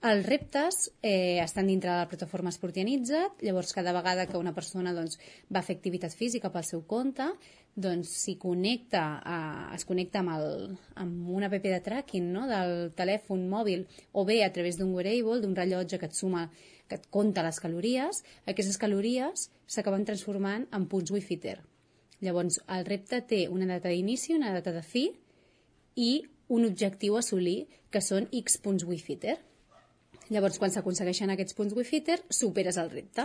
Els reptes estan dintre de la plataforma Esportianitza't, llavors cada vegada que una persona va fer activitat física pel seu compte, es connecta amb una app de tracking, no? Del telèfon mòbil, o bé a través d'un wearable, d'un rellotge que et compta les calories. Aquestes calories s'acaben transformant en punts WiFitter. Llavors el repte té una data d'inici, una data de fi i un objectiu a assolir, que són X punts WiFitter. Llavors, quan s'aconsegueixen aquests punts WiFitter, superes el repte.